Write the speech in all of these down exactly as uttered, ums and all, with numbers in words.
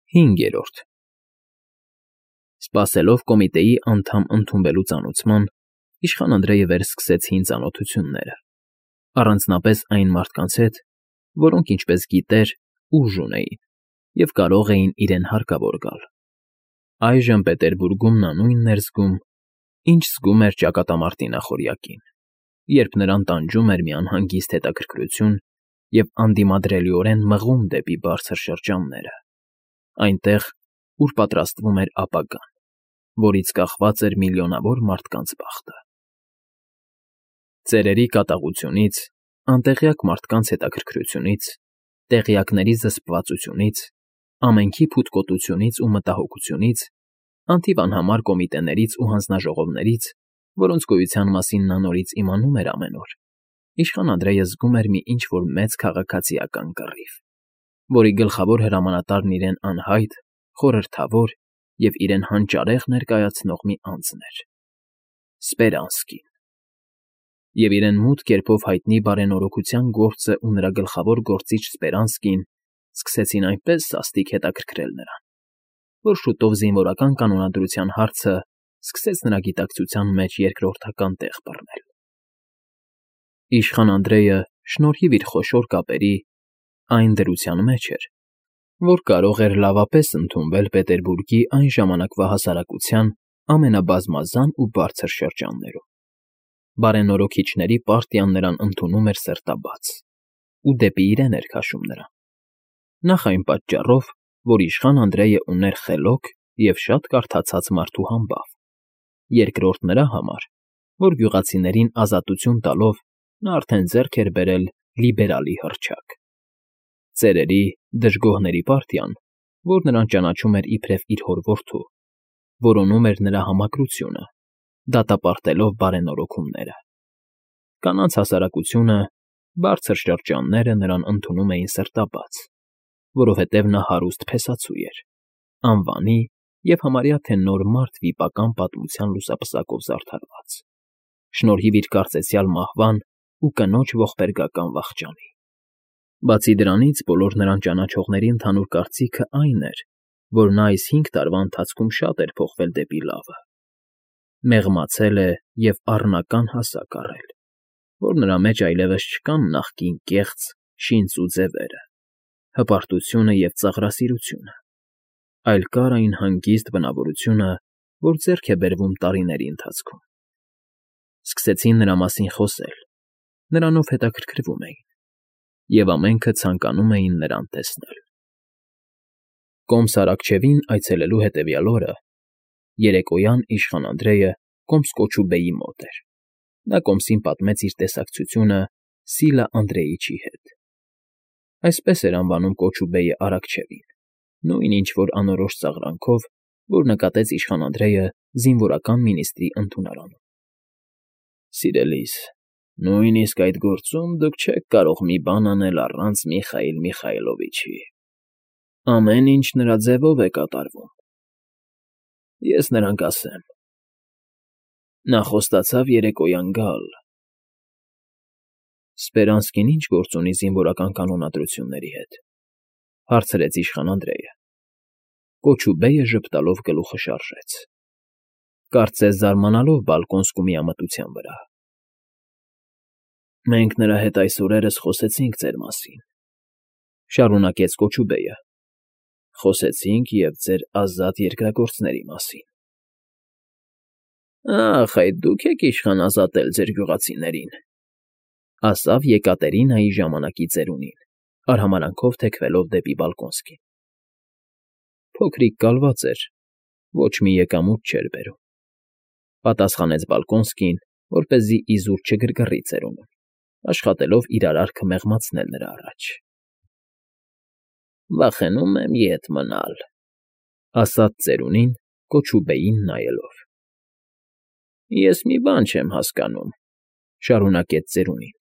Հինգերորդ Սպասելով կոմիտեի անդամ ընդունվելու ծանուցման, իշխան Անդրեյը վերսկսեց հին ծանոթությունները, առանձնապես այն մարդկանց հետ, որոնք, ինչպես գիտեր, ուժ ունեին և կարող էին իրեն հարկավոր գալ. այժմ Պետերբուրգում նա նույնն էր զգում, ինչ զգում էր ճակատամարտի նախօրյակին, երբ նրան տանջում էր մի անհանգիստ հետաքրքրություն և անդիմադրելիորեն մղում դեպի բարձր շրջանները, այնտեղ, ուր պատրաստվում էր ապագան, որից կախված էր միլիոնավոր մարդկանց բախտը։ Ծերերի կատաղությունից, անտեղյակ մարդկանց հետաքրքրությունից, տեղյակների զսպվածությունից, ամենքի փութկոտությունից ու մտահոգությունից, անթիվ անհամար կոմիտեներից ու հանձնաժողովներից, որոնց գոյության մասին նա նորից իմանում էր ամեն օր, իշխան Անդրեյը զգում էր մի ինչ֊որ մեծ քաղաքացիական կռիվ, որի գլխավոր հրամանատարն իրեն անհայտ, խորհրդավոր և իրեն հանճարեղ ներկայացնող մի անձն էր՝ Սպերանսկին, և իրեն մութ կերպով հայտնի բարենորոգության գործն ու նրա գլխավոր գործիչ Սպերանսկին սկսեցին այնպես սաստիկ հետաքրքրել նրան, որ շուտով զինվորական կանոնադրության հարցն սկսեց նրա գիտակցության մեջ երկրորդական տեղ բռնել։ Իշխան Անդրեյը, շնորհիվ իր խոշոր կապերի, այն դրության մեջ էր, որ կարող էր լավապես ընդունվել Պետերբուրգի այն ժամանակվա հասարակության ամենաբազմազան ու բարձր շրջաններում։ Բարենորոգիչների պարտիան նրան ընդունում էր սրտաբաց ու դեպի իրեն էր քաշում նրան, նախ այն պատճառով, որ իշխան Անդրեյը ուներ խելոք և շատ կարդացած մարդու համբավ, երկրորդ նրա համար, որ գյուղացիներին ազատություն տալով նա արդեն ձեռք էր բերել լիբերալի հռչակ։ Ծերերի, դժգոհների պարտիան, որ նրան ճանաչում էր իբրև իր հոր որդու, որոնում էր նրա համակրությունը, դատապարտելով բարենորոգումները։ Կանանց հասարակությունը, բարձր շրջանները նրան ընդունում էին սրտաբաց, որովհետև նա հարուստ փեսացու էր, անվանի և համարյա թե նոր մարդ վիպական պատմության լուսապսակով զարդարված, շնորհիվ իր կարծեցյալ մահվան ու կնոջ ողբերգական վախճանի։ Բացի դրանից, բոլոր նրան ճանաչողների ընդհանուր կարծիքն այն էր, որ նա այս հինգ տարվա ընթացքում շատ էր փոխվել դեպի լավը, մեղմացել է և առնական հասակ առել, որ նրա մեջ այլևս չկան նախկին կեղծ, շինծու ձևերը, հպարտությունը և ծաղրասիրությունը, այլ կար այն հանգիստ բնավորությունը, որ ձեռք է բերվում տարիների ընթացքում։ Սկսեցին նրա մասին խոսել, նրանով հետաքրքրվում էին, և ամենքը ցանկանում էին նրան տեսնել։ Կոմս Արաքչեվին այցելելու հետևյալ օրը, երեկոյան իշխան Անդրեյը կոմս Կոչուբեյի մոտ էր։ Նա կոմսին պատմեց իր տեսակցությունը Սիլա Անդրեիչի հետ։ Այսպես էր անվանում Կոչուբեյը Արաքչեվին, նույն ինչ֊որ անորոշ ծաղրանքով, որ նկատեց իշխան Անդրեյը զինվորական մինիստրի ընդունարանում։ Սիրելիս, նույնիսկ այդ գործում դուք չեք կարող մի բան անել առանց Միխայիլ Միխայիլովիչի, ամեն ինչ նրա ձևով է կատարվում։ Ես նրան կասեմ. նա խոստացավ երեկոյան գալ։ Սպերանսկին ի՞նչ գործ ունի զինվորական կանոնադրությունների հետ, հարցրեց իշխան Անդրեյը։ Կոչուբեյը ժպտալով գլուխը շարժեց, կարծես զարմանալով Բալկոնսկու միամտության վրա։ Մենք նրա հետ այս օրերս խոսեցինք ձեր մասին, շարունակեց Կոչուբեյը, խոսեցինք և ձեր ազատ երկրագործների մասին։ Ախ, այդ դուք եք իշխան ազատել ձեր գյուղացիներին, ասավ Եկատերինայի ժամանակի ծերունին, արհամարհանքով թեքվելով դեպի Բալկոնսկին։ Փոքրիկ կալված էր, ոչ մի եկամուտ չէր բերում, պատասխանեց Բալկոնսկին, որպեսզի իզուր չգրգռի ծերունուն, աշխատելով իր արարքը մեղմացնել նրա առաջ։ Վախենում եմ ետ մնալ, ասաց ծերունին Կոչուբեյին նայելով։ Ես մի բան չեմ հասկանում, շարունակեց ծերունին,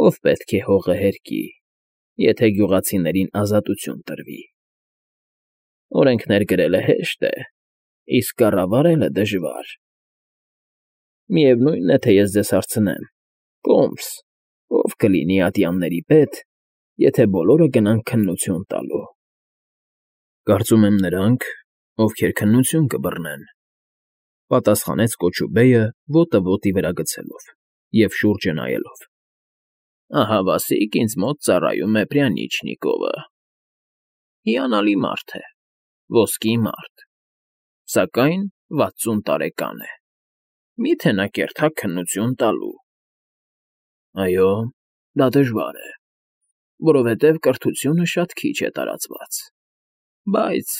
ով պետք է հողը հերկի, եթե գյուղացիներին ազատություն տրվի։ Օրենքներ գրելը հեշտ է, իսկ կառավարելը դժվար։ Միևնույն է, թե ես ձեզ հարցնեմ. Կոմս, ով կլինի ատյանների պետ, եթե բոլորը գնան քննություն տալու։ Կարծում եմ նրանք, ովքեր քննություն կբռնեն,֊ պատասխանեց կոճուբեյը ոտը ոտի վրա գցելով և շուրջը նայելով։ Ահա Վասիկ ինձ մոտ ծառայում է Պրյանիչնիկովը. հիանալի մարդ է, ոսկի մարդ, սակայն վաթսուն տարեկան է, մի՞թե նա կերթակ քննություն տալու։ Այո, դա դժվար է, որովհետև կրթությունը շատ քիչ է տարածված, բայց…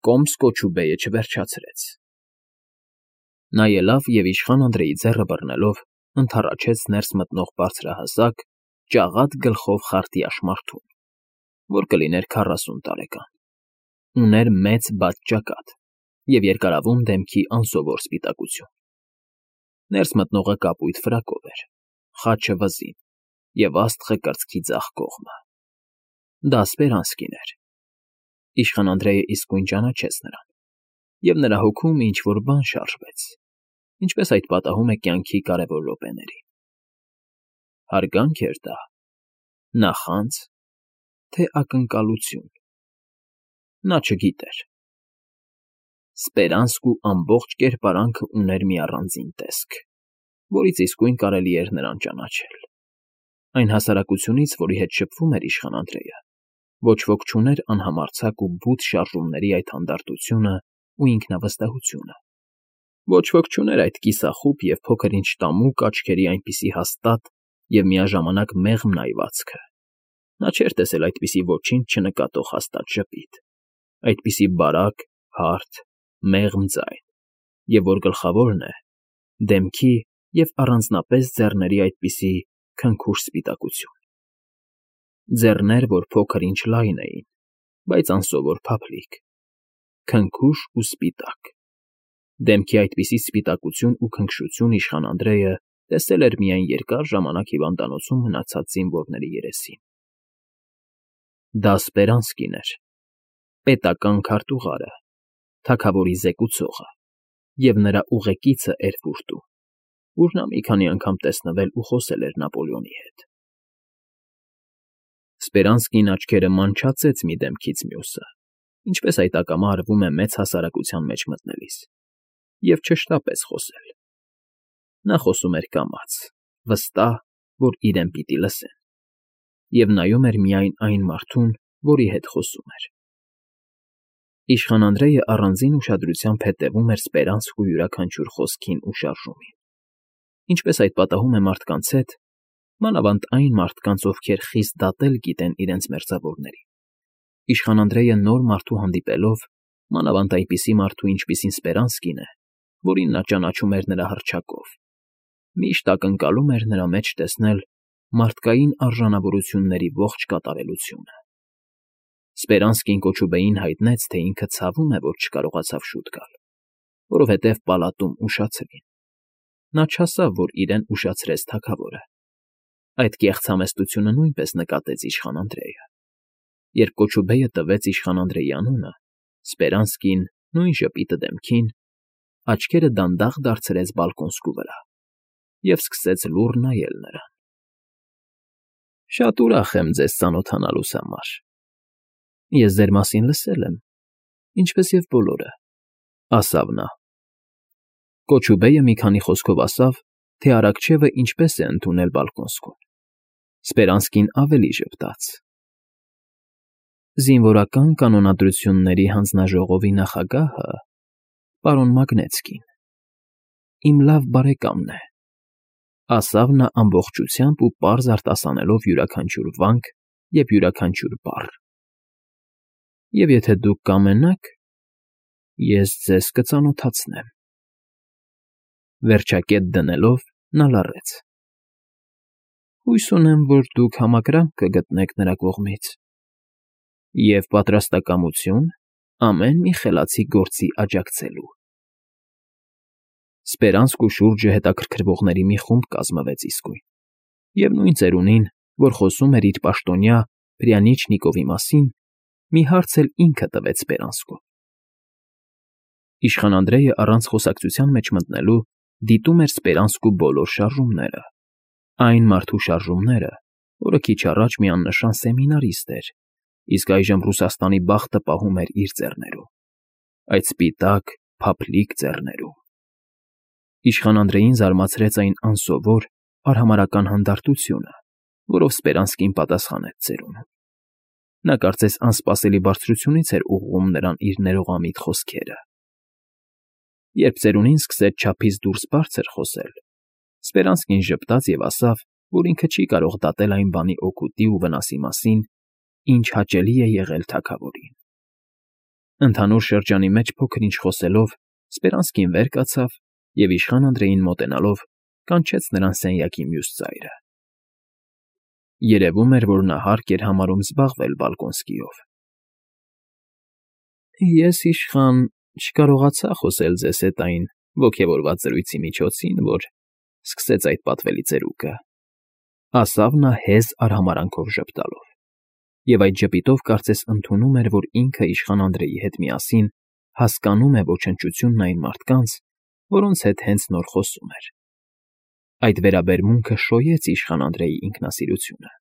Կոմս կոճուբեյը չվերջացրեց։ Նա ելավ և իշխան Անդրեի ձեռը բռնելով ընդառաջեց ներս մտնող բարձրահասակ, ճաղատ գլխով խարտյաշ մարդուն, որ կլիներ քառասուն տարեկան, ուներ մեծ բաց ճակատ և երկարավուն դեմքի անսովոր սպիտակություն։ Ներս մտնողը կապույտ ֆրակով էր, խաչը վզին և աստղը կրծքի ձախ կողմը։ Դա Սպերանսկին էր։ Իշխան Անդրեյը իսկույն ճանաչեց նրան, և նրա հոգում ինչ֊որ բան շարժվեց, ինչպես այդ պատահում է կյանքի կարևոր րոպեներին։ Հարգա՞նք էր դա, նախանց, թե ակնկալություն… Նա չգիտեր։ Սպերանսկու ամբողջ կերպարանքը ուներ մի առանձին տեսք, որից իսկույն կարելի էր նրան ճանաչել։ Այն հասարակությունից, որի հետ շփվում էր իշխան Անդրեյը, ոչ ոք չուներ անհամարձակ ու բութ շարժումների այդ հանդարտությունն ու ինքնավստահությունը, ոչ ոք չուներ այդ կիսախուտ և փոքր֊ինչ տամուկ աչքերի այնպիսի հաստատ և միաժամանակ մեղմ նայվածքը։ Նա չէր տեսել այդպիսի ոչինչ չնկատող հաստատ ժպիտ, այդպիսի բարակ, հարթ, մեղմ ձայն, և որ գլխավորն է, դեմքի և առանձնապես ձեռների այդպիսի քնքուշ սպիտակություն։ Ձեռներ, որ փոքր֊ինչ լայն էին, բայց անսովոր փափլիկ, քնքուշ ու սպիտակ։ Դեմքի այդպիսի սպիտակություն ու քնքշություն իշխան Անդրեյը տեսել էր միայն երկար ժամանակ հիվանդանոցում մնացած զինվորների երեսին։ Դա Սպերանսկին էր, պետական քարտուղարը, թագավորի զեկուցողը և նրա ուղեկիցը Էրֆուրտում, ուր նա մի քանի անգամ տեսնվել ու խոսել էր Նապոլեոնի հետ։ Սպերանսկին աչքերը մանչացեց մի դեմքից մյուսը, ինչպես այդ ակամա արվում է մեծ հասարակության մեջ մտնելիս, և չշտապեց խոսել։ Նա խոսում էր կամաց, վստահ, որ իրեն պիտի լսեն, և նայում էր միայն այն մարդուն, որի հետ խոսում էր։ Իշխան Անդրեյը առանձին ուշադրությամբ հետևում էր Սպերանսկու յուրաքանչյուր խոսքին ու շարժումին, ինչպես այդ պատահում է մարդկանց հետ, մանավանդ այն մարդկանց, ովքեր խիստ դատել գիտեն իրենց մերձավորներին։ Իշխան Անդրեյը նոր մարդու հանդիպելով, մանավանդ այնպիսի մարդու, ինչպիսին Սպերանսկին է, որին նա ճանաչում էր նրա հռչակով, միշտ ակնկալում էր նրա մեջ տեսնել մարդկային արժանավորությունների ողջ կատարելությունը։ Սպերանսկին կոճուբեյին հայտնեց, թե ինքը ցավում է, որ չկարողացավ շուտ գալ, որովհետև պալատում ուշացրին։ Նա չասավ, որ իրեն ուշացրեց թագավորը։ Այդ կեղծ համեստությունը նույնպես նկատեց իշխան Անդրեյը։ Երբ կոճուբեյը տվեց իշխան Անդրեյի անունը, Սպերանսկին, նույն ժպիտը դեմքին, աչքերը դանդաղ դարձրեց բալկոնսկու վրա և սկսեց լուռ նայել նրան։ Շատ ուրախ եմ ձեզ ծանոթանալուս համար։ Ես ձեր մասին լսել եմ, ինչպես և բոլորը, ֊ ասավ նա։ Կոճուբեյը մի քանի խոսքով ասավ, թե Արաքչեվը ինչպես է ընդունել Բալկոնսկուն։ Սպերանսկին ավելի ժպտաց. Զինվորական կանոնադրությունների հանձնաժողովի նախագահը, պարոն Մագնեցկին, իմ լավ բարեկամն է, ֊ ասավ նա ամբողջությամբ ու պարզ արտասանելով յուրաքանչյուր վանք և յուրաքանչյուր բառ։ Եվ եթե դուք կամենաք, ես ձեզ կծանոթացնեմ… Վերջակետ դնելով՝ նա լռեց։ Հույս ունեմ, որ դուք համակրանք կգտնեք նրա կողմից և պատրաստակամություն ամեն մի խելացի գործի աջակցելու։ Սպերանսկու շուրջը հետաքրքրվողների մի խումբ կազմվեց իսկույն, և նույն ծերունին, որ խոսում էր իր պաշտոնյա Պրյանիչնիկովի մասին, մի հարց էլ ինքը տվեց Սպերանսկուն։ Իշխան Անդրեյը առանց խոսակցության մեջ մտնելու դիտում էր Սպերանսկու բոլոր շարժումները, այն մարդու շարժումները, որը քիչ առաջ մի աննշան սեմինարիստ էր իսկ այժմ Ռուսաստանի բախտը պահում էր իր ձեռներում, այդ սպիտակ, փափլիկ ձեռներում։ Իշխան Անդրեին զարմացրեց այն անսովոր, արհամարհական հանդարտությունը, որով Սպերանսկին պատասխանեց ծերունուն։ Նա կարծես անսպասելի բարձրությունից էր ուղղում նրան իր ներողամիտ խոսքերը։ Երբ ծերունին սկսեց չափից դուրս բարձր խոսել, Սպերանսկին ժպտաց և ասավ, որ ինքը չի կարող դատել այն բանի օգուտի ու վնասի մասին, ինչ հաճելի է եղել թագավորին։ Ընդհանուր շրջանի մեջ փոքր֊ինչ խոսելով՝ Սպերանսկին վեր կացավ և իշխան Անդրեին մոտենալով կանչեց նրան սենյակի մյուս ծայրը։ Երևում էր, որ նա հարկ էր համարում զբաղվել Բալկոնսկիով։ Ես, իշխան, չկարողացա խոսել ձեզ հետ այն ոգևորված զրույցի միջոցին, որ սկսեց այդ պատվելի ծերուկը, ասավ նա հեզ արհամարհանքով ժպտալով, և այդ ժպիտով կարծես ընդունում էր, որ ինքը իշխան Անդրեի հետ միասին հասկանում է ոչնչությունն այն մարդկանց, որոնց հետ հենց նոր խոսում էր։ Այդ վերաբերմունքը շոյեց իշխան Անդրեի ինքնասիրությունը։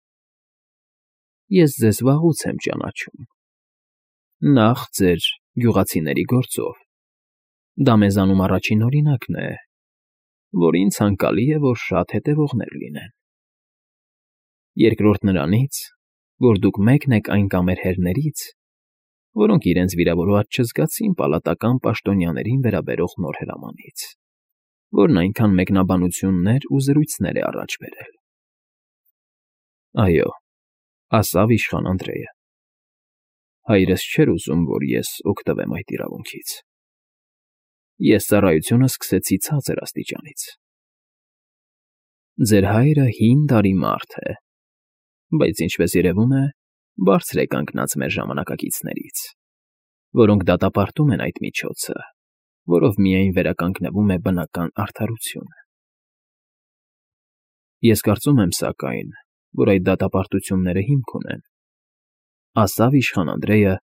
Ես ձեզ վաղուց եմ ճանաչում, նախ ձեր գյուղացիների գործով, դա մեզանում առաջին օրինակն է, որին ցանկալի է, որ շատ հետևողներ լինեն։ Երկրորդ նրանից, որ դուք մեկն եք այն կամերհերներից, որոնք իրենց վիրավորված չզգացին պալատական պաշտոնյաներին վերաբերող նոր հրամանից, որն այնքան մեկնաբանություններ ու զրույցներ է առաջ բերել։ Այո, ասավ իշխան Անդրեյը, հայրս չէր ուզում, որ ես օգտվեմ այդ իրավունքից։ Ես ծառայությունը սկսեցի ցածր աստիճանից։ Ձեր հայրը հին դարի մարդ է, բայց, ինչպես երևում է, բարձր է կանգնած մեր ժամանակակիցներից, որոնք դատապարտում են այդ միջոցը, որով միայն վերականգնվում է բնական արդարությունը։ Ես կարծում եմ, սակայն, որ այդ դատապարտությունները հիմք ունեն, ասավ իշխան Անդրեյը,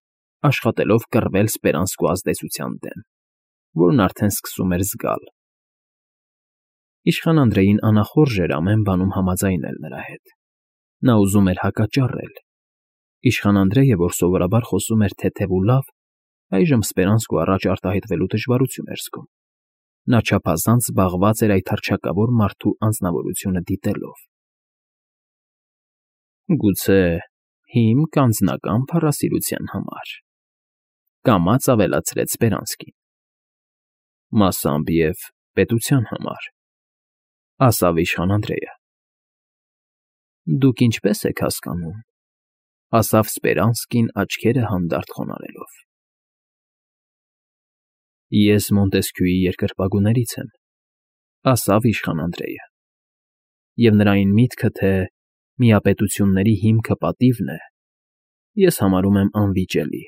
աշխատելով կռվել Սպերանսկու ազդեցության դեմ, որն արդեն սկսում էր զգալ։ Իշխան Անդրեին անախորժ էր ամեն բանում համաձայնել նրա հետ։ Նա ուզում էր հակաճառել։ Իշխան Անդրեյը, որ սովորաբար խոսում էր թեթև ու լավ, այժմ Սպերանսկու առաջ արտահայտվելու դժվարություն էր զգում։ Նա չափազանց զբաղված էր այդ հռչակավոր մարդու անձնավորությունը դիտելով։ Գուցե հիմք անձնական փառասիրության համար, կամաց ավելացրեց Սպերանսկին։ Մասամբ և պետության համար, ասավ իշխան Անդրեյը։ Դուք ինչպես եք հասկանում, ասավ Սպերանսկին աչքերը հանդարտ խոնարհելով։ Ես Մոնտեսկյուի երկրպագուներից եմ, ասավ իշխան Անդրեյը, և նրա այն միտքը, թե միապետությունների հիմքը պատիվն է, ես համարում եմ անվիճելի։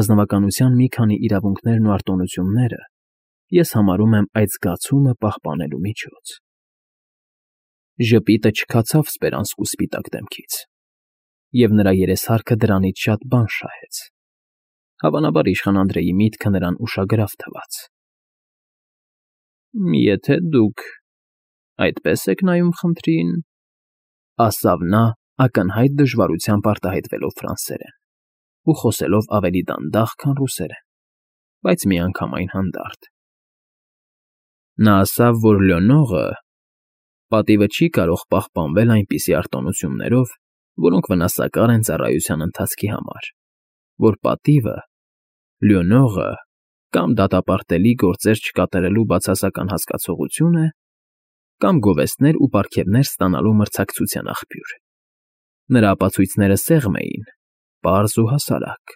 Ազնվականության մի քանի իրավունքներն ու արտոնությունները ես համարում եմ այդ զգացումը պահպանելու միջոց։ Ժպիտը չքացավ Սպերանսկու սպիտակ դեմքից, և նրա երեսհարքը դրանից շատ բան շահեց։ Հավանաբար իշխան Անդրեի միտքը նրան ուշագրավ թվաց։ Եթե դուք այդպես եք նայում խնդրին, ասավ նա ակնհայտ դժվարությամբ արտահայտվելով ֆրանսերեն ու խոսելով ավելի դանդաղ, քան ռուսերեն, բայց միանգամայն հանդարտ։ Նա ասավ, որ Լյոնողը պատիվը չի կարող պահպանվել այնպիսի արտոնություններով, որոնք վնասակար են ծառայության ընթացքի համար, որ պատիվը, Լյոնողը կամ դատապարտելի գործեր չկատարելու բացասական հասկացողություն է, կամ գովեստներ ու պարգևներ ստանալու մրցակցության աղբյուր։ Նրա ապացույցները սեղմ էին, պարզ ու հասարակ։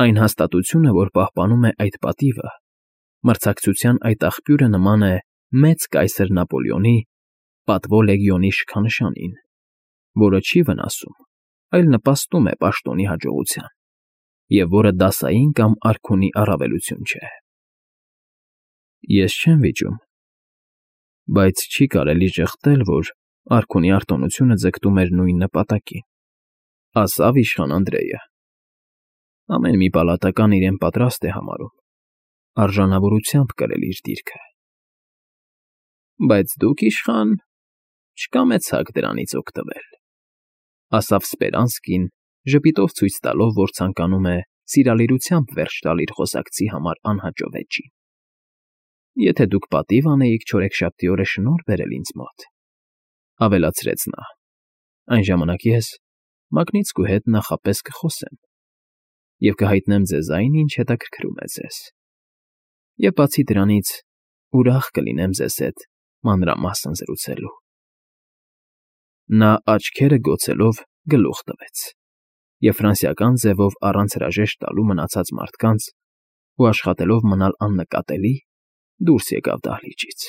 Այն հաստատությունը, որ պահպանում է այդ պատիվը, մրցակցության այդ աղբյուրը նման է մեծ կայսր Նապոլեոնի պատվո լեգիոնի շքանշանին, որը չի վնասում, այլ նպաստում է պաշտոնի հաջողության, և որը դասային կամ արքունի առավելություն չէ։ Ես չեմ վիճում, բայց չի կարելի ժխտել, որ արքունի արտոնությունը ձգտում էր նույն նպատակին, ասավ իշխան Անդրեյը։ Ամեն մի պալատական իրեն պատրաստ է համարում արժանավորությամբ կրել իր դիրքը։ Բայց դուք, իշխան, չկամեցաք դրանից օգտվել։ Ասավ Սպերանսկին, ժպիտով ցույց տալով, որ ցանկանում է սիրալիրությամբ վերջ տալ իր խոսակցի համար անհաճո վեճին։ ֊ Եթե դուք պատիվ անեիք չորեքշաբթի օրը շնորհ բերել ինձ մոտ,֊ ավելացրեց նա,֊ այն ժամանակ ես Մակնիցկու հետ նախապես կխոսեմ և կհայտնեմ ձեզ այն, ինչ հետաքրքրում է ձեզ, և բացի դրանից ուրախ կլինեմ ձեզ հետ մանրամասն զրուցելու։ Նա աչքերը գոցելով գլուխ տվեց և ֆրանսիական ձևով առանց հրաժեշտ տալու մնացած մարդկանց ու աշխատելով մնալ աննկատելի՝ դուրս եկավ դահլիճից։